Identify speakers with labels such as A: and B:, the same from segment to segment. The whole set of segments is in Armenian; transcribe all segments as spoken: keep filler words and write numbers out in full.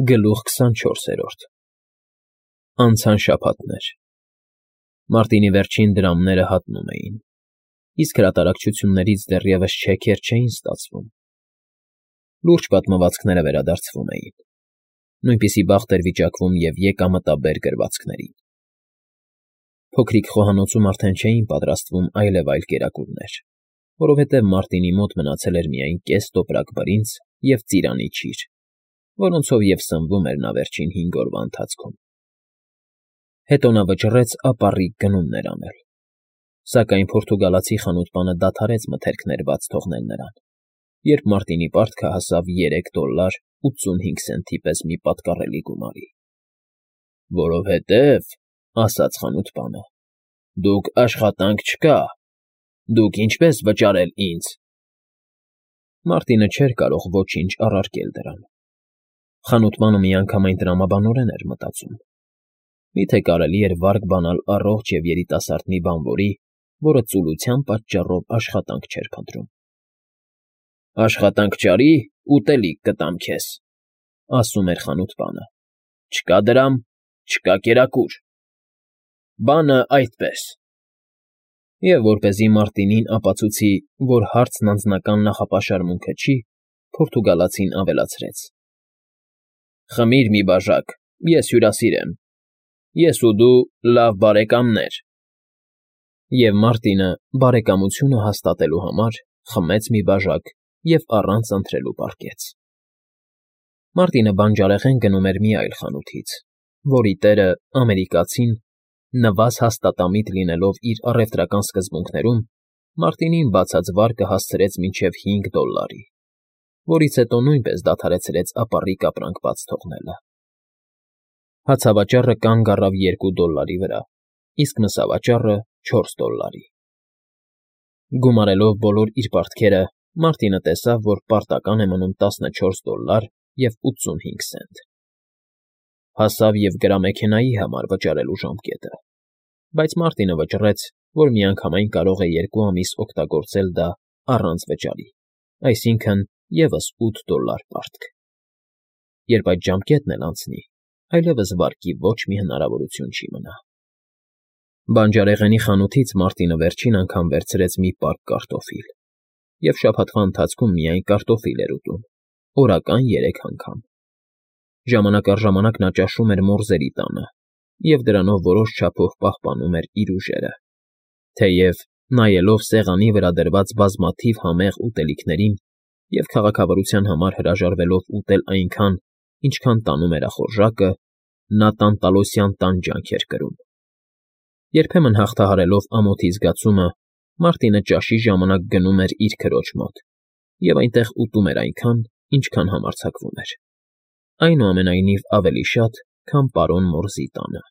A: Գլուխ քսանչորսերորդ Անցան շաբաթներ, Մարտինի վերջին դրամները հատնում էին, իսկ հրատարակչություններից դեռևս չեքեր չէին ստացվում. լուրջ պատմվածքները վերադարձվում էին, նույնպիսի բախտ էր վիճակվում և եկամտաբեր գրվածքներին. փոքրիկ խոհանոցում արդեն չէին պատրաստվում այլև այլ կերակուրներ, որովհետև Մարտինի մոտ մնացել էր միայն կես տոպրակ բրինձ և ծիրանի չիր, որոնցով և սնվում էր նա վերջին հինգ օրվա ընթացքում. հետո նա վճռեց ապառիկ գնումներ անել, սակայն պորտուգալացի խանութպանը դադարեց մթերքներ բաց թողնել նրան, երբ Մարտինի պարտքը հասավ երեք դոլար ութսունհինգ սենտի պես մի պատկառելի գումարի։ ֊ Որովհետև, ասաց խանութպանը, դուք աշխատանք չկա, դուք ինչպե՞ս վճարել ինձ։ Մարտինը չէր կարող ոչինչ առարկել դրան. խանութպանը միանգամայն տրամաբանորեն էր մտածում. միթե կարելի էր վարկ բանալ առողջ և երիտասարդ մի բանվորի, որը ծուլության պատճառով աշխատանք չէր փնտրում։ ֊ Աշխատանք չարի, ուտելիք կտամ քեզ, ֊ ասում էր խանութպանը, ֊ չկա դրամ, չկա կերակուր, բանը այդպես։ Եվ որպեսզի Մարտինին ապացուցի, որ հարցն անձնական նախապաշարմունքը չի, պորտուգալացին ավելացրեց. ֊ Խմիր մի բաժակ, ես հյուրասիր եմ, ես ու դու լավ բարեկամներ։ Եվ Մարտինը, բարեկամությունը հաստատելու համար, խմեց մի բաժակ և առանց ընթրելու պառկեց։ Մարտինը բանջարեղեն գնում էր մի այլ խանութից, որի տերը, ամերիկացին, նվազ հաստատամիտ լինելով իր առևտրական սկզբունքներում, Մարտինին բացած վարկը հասցրեց մինչև հինգ դոլարի, որից հետո նույնպես դադարեցրեց ապառիկ ապրանք բաց թողնելը։ Հացավաճառը կանգ առավ երկու դոլարի վրա, իսկ մսավաճառը՝ չորս դոլարի։ Գումարելով բոլոր իր պարտքերը, Մարտինը տեսավ, որ պարտական է մնում տասնչորս դոլար և ութսունհինգ սենտ։ Հասավ և գրամեքենայի համար վճարելու ժամկետը, բայց Մարտինը վճռեց, որ միանգամայն կարող է երկու ամիս օգտագործել դա առանց վճարի, այսինքն՝ ևս ութ դոլար պարտք։ Երբ այդ ժամկետն էլ անցնի, այլևս վարկի ոչ մի հնարավորություն չի մնա։ Բանջարեղենի խանութից Մարտինը վերջին անգամ վերցրեց մի պարկ կարտոֆիլ և շաբաթվա ընթացքում միայն կարտոֆիլ էր ուտում, օրական երեք անգամ։ Ժամանակ առ ժամանակ նա ճաշում էր մորզերի տանը և դրանով որոշ չափով պահպանում էր իր ուժերը, թեև, նայելով սեղանի վրա դրված բազմաթիվ համեղ ուտելիքներին և քաղաքավարության համար հրաժարվելով ուտել այնքան, ինչքան տանում էր ախորժակը, նա տանտալոսյան տանջանք էր կրում։ Երբեմն հաղթահարելով ամոթի զգացումը, Մարտինը ճաշի ժամանակ գնում էր իր քրոջ մոտ և այնտեղ ուտում էր այնքան, ինչքան համարձակվում էր, այնուամենայնիվ ավելի շատ, քան պարոն Մորզի տանը։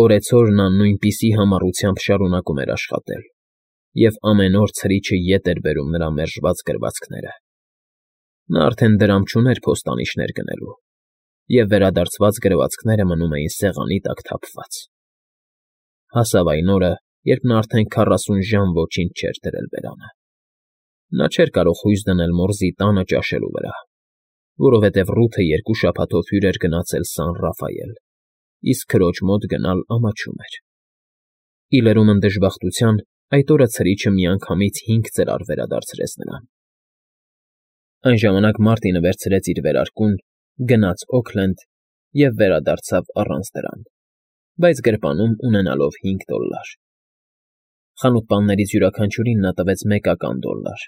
A: Օրեցօր նա նույնպիսի համառությամբ շարունակում էր աշխատել, և ամեն օր ցրիչը ետ էր բերում նրա մերժված գրվածքները։ Նա արդեն դրամ չուներ փոստանիշներ գնելու, և վերադարձված գրվածքները մնում էին սեղանի տակ թափված։ Հասավ այն օրը, երբ նա արդեն քառասուն ժամ ոչինչ չէր դրել բերանը։ Նա չէր կարող հույս դնել Մորզի տանը ճաշելու վրա, որովհետև Ռութը երկու շաբաթով հյուր էր գնացել Սան Ռաֆայել, իսկ քրոջ մոտ գնալ ամաչում էր։ Ի լրումն դժբախտության, այդ օրը ցրիչը միանգամից հինգ ծրար վերադարձրեց նրան։ Այն ժամանակ Մարտինը վերցրեց իր վերարկուն, գնաց Օքլենդ և վերադարձավ առանց դրամ, բայց գրպանում ունենալով հինգ դոլար։ Խանութպաններից յուրաքանչյուրին նա տվեց մեկական դոլար,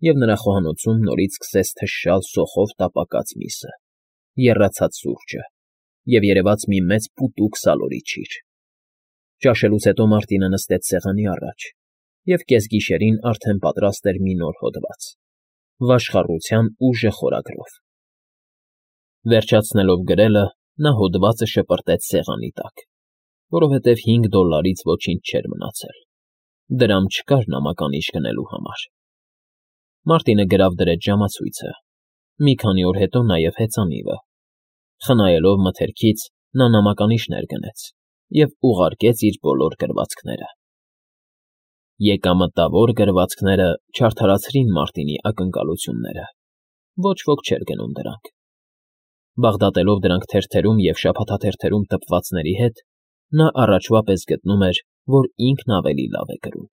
A: և նրա խոհանոցում նորից սկսեց թշշալ սոխով տապակած միսը, եռացած սուրճը և երևաց մի մեծ պուտուկ սալորի չիր։ Ճաշելուց հետո Մարտինը նստեց սեղանի առաջ և կեսգիշերին արդեն պատրաստ էր մի նոր հոդված՝ վաշխառության ուժը խորագրով։ Վերջացնելով գրելը, նա հոդվածը շպրտեց սեղանի տակ, որովհետև հինգ դոլարից ոչինչ չէր մնացել, դրամ չկար նամականիշ գնելու համար։ Մարտինը գրավ դրեց ժամացույցը, մի քանի օր հետո նաև հեծանիվը։ Խնայելով մթերքից, նա նամականիշներ գնեց և ուղարկեց իր բոլոր գրվածքները։ Եկամտավոր գրվածքները չարդարացրին Մարտինի ակնկալությունները, ոչ ոք չէր գնում դրանք։ Բաղդատելով դրանք թերթերում և շաբաթաթերթերում տպվածների հետ, նա առաջվա պես գտնում էր, որ ինքն ավելի լավ է գրում,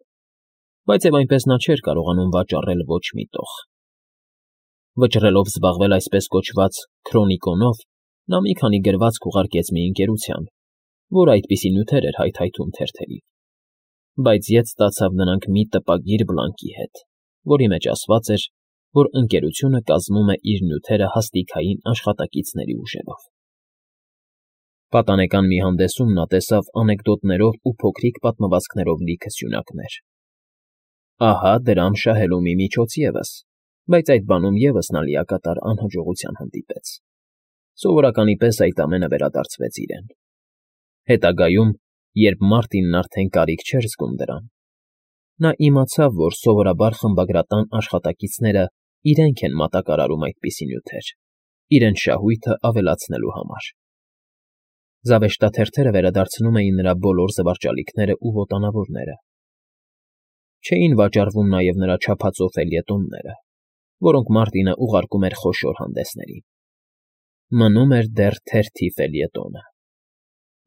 A: բայց և այնպես նա չէր կարողանում վաճառել ոչ մի տող։ Վճռելով զբաղվել այսպես կոչված «քրոնիկոնով», նա մի քանի գրվածք ուղարկեց մի ընկերության, որը այդպիսի նյութեր էր հայթայթում թերթերին, բայց ետ ստացավ նրանք մի տպագիր բլանկի հետ, որի մեջ ասված էր, որ ընկերությունը կազմում է իր նյութերը հաստիքային աշխատակիցների ուժերով։ Պատանեկան մի հանդեսում նա տեսավ անեկդոտներով ու փոքրիկ պատմվածքներով լիքը սյունակներ։ Ահա դրամ շահելու մի միջոց ևս, բայց այդ բանում ևս նա լիակատար անհաջողության հանդիպեց։ Սովորականի պես այդ ամենը վերադարձվեց իրեն։ Հետագայում, երբ Մարտինն արդեն կարիք չէր զգում դրան, նա իմացավ, որ սովորաբար խմբագրատան աշխատակիցները իրենք են մատակարարում այդպիսի նյութեր, իրենց շահույթը ավելացնելու համար։ Զավեշտաթերթերը վերադարձնում էին նրա բոլոր զվարճալիքները ու ոտանավորները։ Չէին վաճառվում նաև նրա չափածո ֆելյետոնները, որոնք Մարտինը ուղարկում էր խոշոր հանդեսներին։ Մնում էր դեռ թերթի ֆելյետոնը։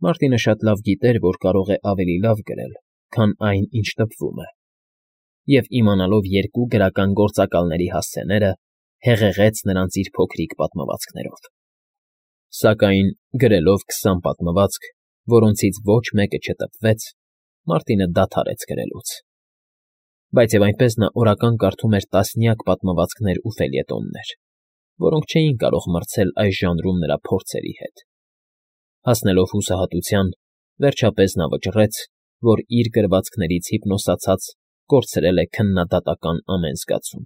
A: Մարտինը շատ լավ գիտեր, որ կարող է ավելի լավ գրել, քան այն, ինչ տպվում է, և իմանալով երկու գրական գործակալների հասցեները, հեղեղեց նրանց իր փոքրիկ պատմվածքներով։ Սակայն, գրելով քսան պատմվածք, որոնցից ոչ մեկը չտպվեց, Մարտինը դադարեց գրելուց։ Բայց և այնպես նա օրական կարդում էր տասնյակ պատմվածքներ ու ֆելյետոններ, որոնք չէին կարող մրցել այս ժանրում նրա փորձերի հետ։ Հասնելով հուսահատության, վերջապես նա վճռեց, որ իր գրվածքներից հիպնոսացած կորցրել է քննադատական ամեն զգացում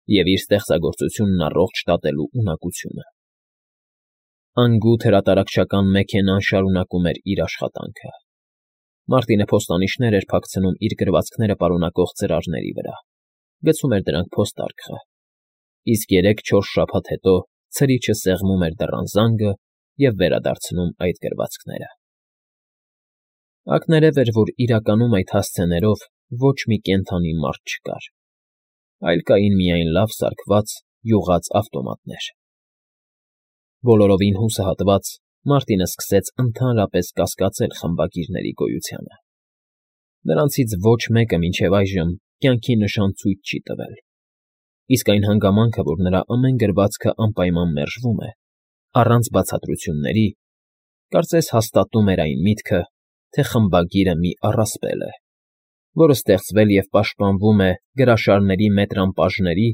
A: և իր ստեղծագործությունն առողջ շտատելու ունակությունը։ Անգութ հրատարակչական մեքենան շարունակում էր իր աշխատանքը։ Մարտինը փոստանիշներ էր փակցնում իր գրվածքները պարունակող ծրարների վրա, գցում էր դրանք փոստարկղը, իսկ երեք֊չորս շաբաթ հետո ցրիչը սեղմում էր դռան զանգը և վերադարձնում այդ գրվածքները։ Ակներև էր, որ իրականում այդ հասցեներով ոչ մի կենդանի մարդ չկար, այլ կային միայն լավ սարքված, յուղած ավտոմատներ։ Բոլորովին հուսահատված, Մարտինը սկսեց ընդհանրապես կասկածել խմբագիրների գոյությանը։ Նրանցից ոչ մեկը մինչև այժմ կյանքի նշան ցույց չի տվել, իսկ այն հանգամանքը, որ նրա ամեն գրվածքը անպայման մերժվում է, առանց բացատրությունների, կարծես հաստատում էր այն միտքը, թե խմբագիրը մի առասպել է, որը ստեղծվել և պաշտպանվում է գրաշարների մետրամպաժների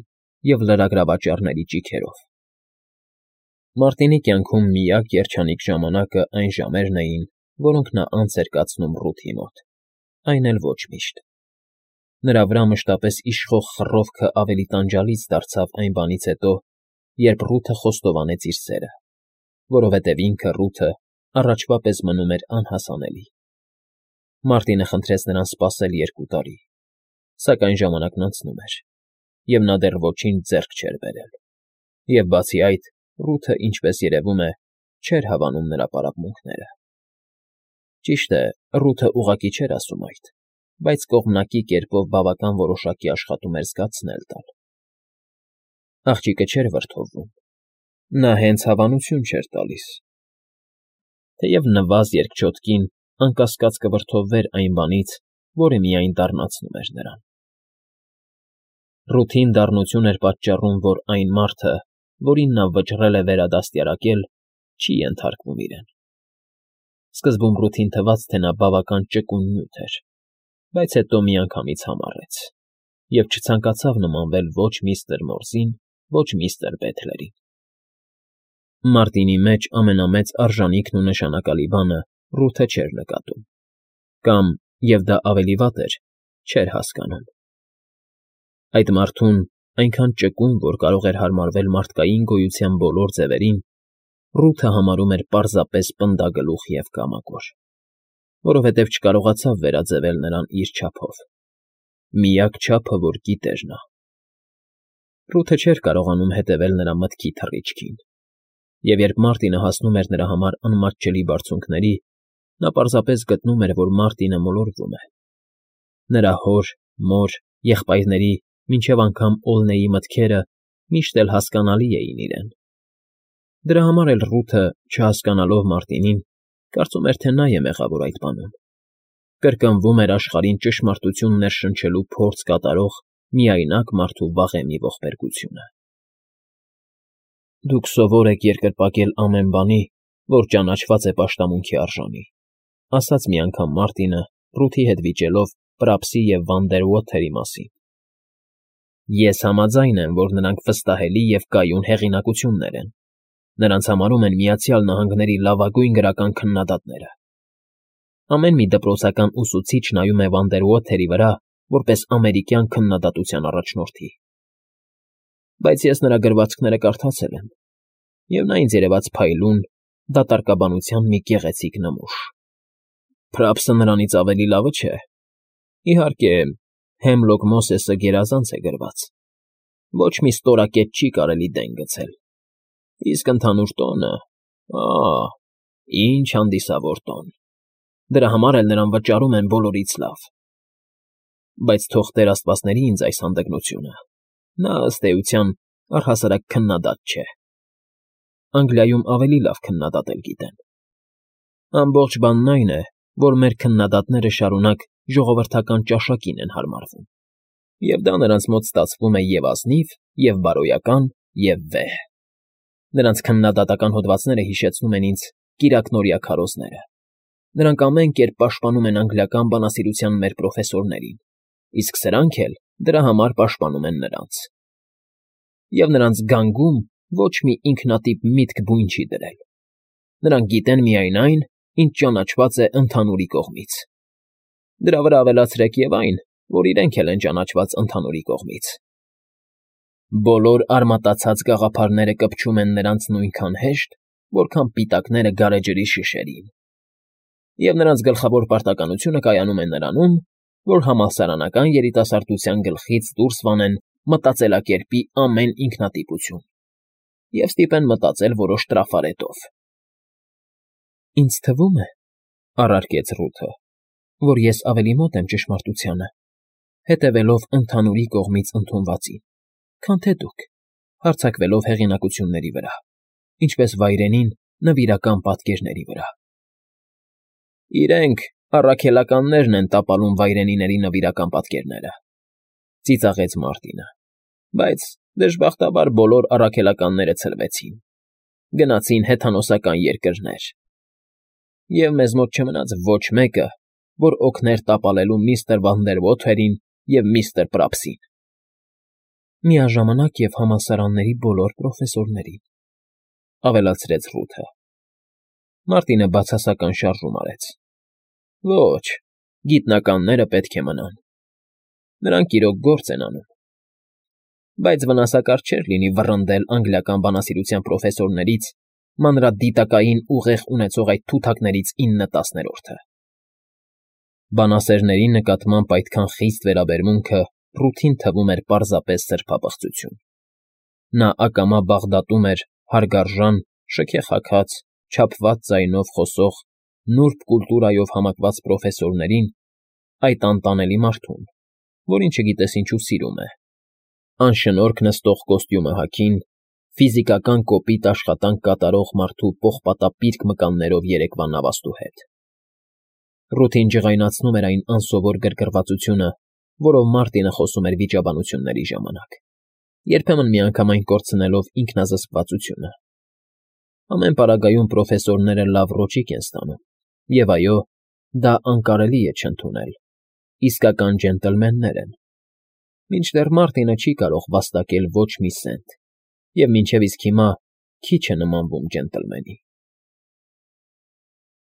A: և լրագրավաճառների ճիգերով։ Մարտինի կյանքում միակ երջանիկ ժամանակը այն ժամերն էին, որոնք նա անց էր կացնում Ռութի մոտ, այն էլ ոչ միշտ։ Նրա վրա մշտապես իշխող խռովքը ավելի տանջալից դարձավ այն բանից հետո, երբ Ռութը խոստովանեց իր սերը, որովհետև ինքը՝ Ռութը, առաջվա պես մնում էր անհասանելի։ Մարտինը խնդրեց նրան սպասել երկու տարի, սակայն ժամանակն անցնում էր, և նա դեռ ոչինչ ձեռք չէր բերել, և բացի այդ, Ռութը, ինչպես երևում է, չէր հավանում նրա պարապմունքները։ Ճիշտ է, Ռութը ուղղակի չէր ասում այդ, բայց կողմնակի կերպով բավական որոշակի աշխատում էր զգացնել տալ։ Աղջիկը չէր վրդովվում, նա հենց հավանություն չէր տալիս։ Թեև նվազ երկչոտ կին, անկասկած կվրդովվեր այն բանից, որը միայն դառնացնում էր նրան։ Ռութին դառնություն էր պատճառում, որ այն մարդը, որին նա վճռել է վերադաստիարակել, չի ենթարկվում իրեն։ Սկզբում Ռութին թվաց, թե նա բավական ճկուն նյութ էր, բայց հետո միանգամից համառեց և չցանկացավ նմանվել ոչ միստր Մորզին, ոչ միստր Բեթլերին։ Մարտինի մեջ ամենամեծ արժանիքն ու նշանակալի բանը Ռութը չէր նկատում, կամ, և դա ավելի վատ էր, չէր հասկանում։ Այդ մարդուն, այնքան ճկուն, որ կարող էր հարմարվել մարդկային գոյության բոլոր ձևերին, Ռութը համարում էր պարզապես պնդագլուխ և կամակոր, որովհետև չկարողացավ վերաձևել նրան իր չափով, միակ չափը, որ գիտեր նա։ Ռութը չէր կարողանում հետևել նրա մտքի թռիչքին, և երբ Մարտինը հասնում էր նրա համար անմատչելի բարձունքների, նա պարզապես գտնում էր, որ Մարտինը մոլորվում է։ Նրա հոր, մոր, եղբայրների, մինչև անգամ Օլնեի մտքերը միշտ էլ հասկանալի էին իրեն։ Դրա համար էլ Ռութը, չհասկանալով Մարտինին, կարծում էր, թե նա է մեղավոր այդ բանում, կրկնվում էր աշխարհին ճշմարտություն ներշնչելու փորձ կատարող միայնակ մարդու վաղեմի ողբերգությունը։ Դուք սովոր եք երկրպագել ամեն բանի, որ ճանաչված է պաշտամունքի արժանի, ասաց մի անգամ Մարտինը, Ռութի հետ վիճելով Պրապսի և Վանդերվոթերի մասին։ Ես համաձայն եմ, որ նրանք վստահելի և կայուն հեղինակություններ են, նրանց համարում են Միացյալ Նահանգների լավագույն գրական քննադատները։ Ամեն մի դպրոցական ուսուցիչ նայում է Վանդերվոթերի վրա որպես ամերիկյան քննադատության առաջնորդի։ Բայց ես նրա գրվածքները կարդացել եմ, և նա ինձ երևաց փայլուն, դատարկաբանության մի գեղեցիկ նմուշ։ Պրապսը նրանից ավելի լավը չէ։ Իհարկե, Հեմլոք Մոսեսը գերազանց է գրված, ոչ մի ստորակետ չի կարելի դեն գցել, իսկ ընդհանուր տոնը, ա՜, ինչ հանդիսավոր տոն, դրա համար էլ նրան վճարում են բոլորից լավ։ Բայց թող Տեր աստվածների ինձ այս հանդգնությունը, նա ըստ էության առհասարակ քննադատ չէ։ Անգլիայում ավելի լավ քննադատել գիտեն։ Ամբողջ բանն այն է, որ մեր քննադատները շարունակ ժողովրդական ճաշակին են հարմարվում, և դա նրանց մոտ ստացվում է և ազնիվ, և բարոյական, և վեհ։ Նրանց քննադատական հոդվածները հիշեցնում են ինձ կիրակնօրյա քարոզները։ Նրանք ամեն կերպ պաշտպանում են անգլիական բանասիրության մեր պրոֆեսորներին, իսկ սրանք էլ դրա համար պաշտպանում են նրանց։ Եվ նրանց գանգում ոչ մի ինքնատիպ միտք բույն չի դրել։ Նրանք գիտեն միայն այն, ինչ ճանաչված է ընդհանուրի կողմից։ Դրա վրա ավելացրեք և այն, որ իրենք էլ են ճանաչված ընդհանուրի կողմից։ Բոլոր արմատացած գաղափարները կպչում են նրանց նույնքան հեշտ, որքան պիտակները գարեջրի շշերին։ Եվ նրանց գլխավոր պարտականությունը կայանում է նրանում, որ համալսարանական երիտասարդության գլխից դուրս վանեն մտածելակերպի ամեն ինքնատիպություն և ստիպեն մտածել որոշ տրաֆարետով։ Ինձ թվում է, առարկեց Ռութը, որ ես ավելի մոտ եմ ճշմարտությանը, հետևելով ընդհանուրի կողմից ընդունվածին, քան թե դուք, հարձակվելով հեղինակությունների վրա, ինչպես վայրենին նվիրական պատկերների վրա։ Իրենք, առաքելականներն են տապալում վայրենիների նվիրական պատկերները, ծիծաղեց Մարտինը, բայց դժբախտաբար բոլոր առաքելականները ցրվեցին, գնացին հեթանոսական երկրներ, և մեզ մոտ չմնաց ոչ մեկը, որ օգներ տապալելու միստր Վանդերվոթերին և միստր Պրապսին։ Միաժամանակ և համալսարանների բոլոր պրոֆեսորներին, ավելացրեց Ռութը։ Մարտինը բացասական շարժում արեց։ Ոչ, գիտնականները պետք է մնան։ Նրանք իրոք գործ են անում։ Բայց վնասակար չէր լինի վռնդել անգլիական բանասիրության պրոֆեսորներից մանրադիտակային ուղեղ ունեցող այդ թութակներից ինը տասներորդը։ Բանասերների նկատմամբ այդքան խիստ վերաբերմունքը Ռութին թվում էր պարզապես սրբապղծություն։ Նա ակամա բաղդատում էր հարգարժան, շքեխաքած, չափված ձայնով խոսող, նուրբ կուլտուրայով համակված պրոֆեսորներին, այդ անտանելի մարդուն, որին չգիտես ինչու սիրում է, անշնորհք նստող կոստյումը հագին, ֆիզիկական կոպիտ աշխատանք կատարող մարդու պողպատապիրկ մկաններով երեկվա նավաստու հետ։ Ռութին ջղայնացնում էր այն անսովոր գրգռվածությունը, որով Մարտինը խոսում էր վիճաբանությունների ժամանակ, երբեմն միանգամայն կորցնելով ինքնազսկվածությունը։ Ամեն պարագայում պրոֆեսորները լավ ռոճիկ են ստանում, և այո, դա անկարելի է չընդունել, իսկական ջենտլմեններ են, մինչդեռ Մարտինը չի կարող վաստակել ոչ մի սենտ և մինչև իսկ հիմա քիչ է նմանվում ջենտլմենի։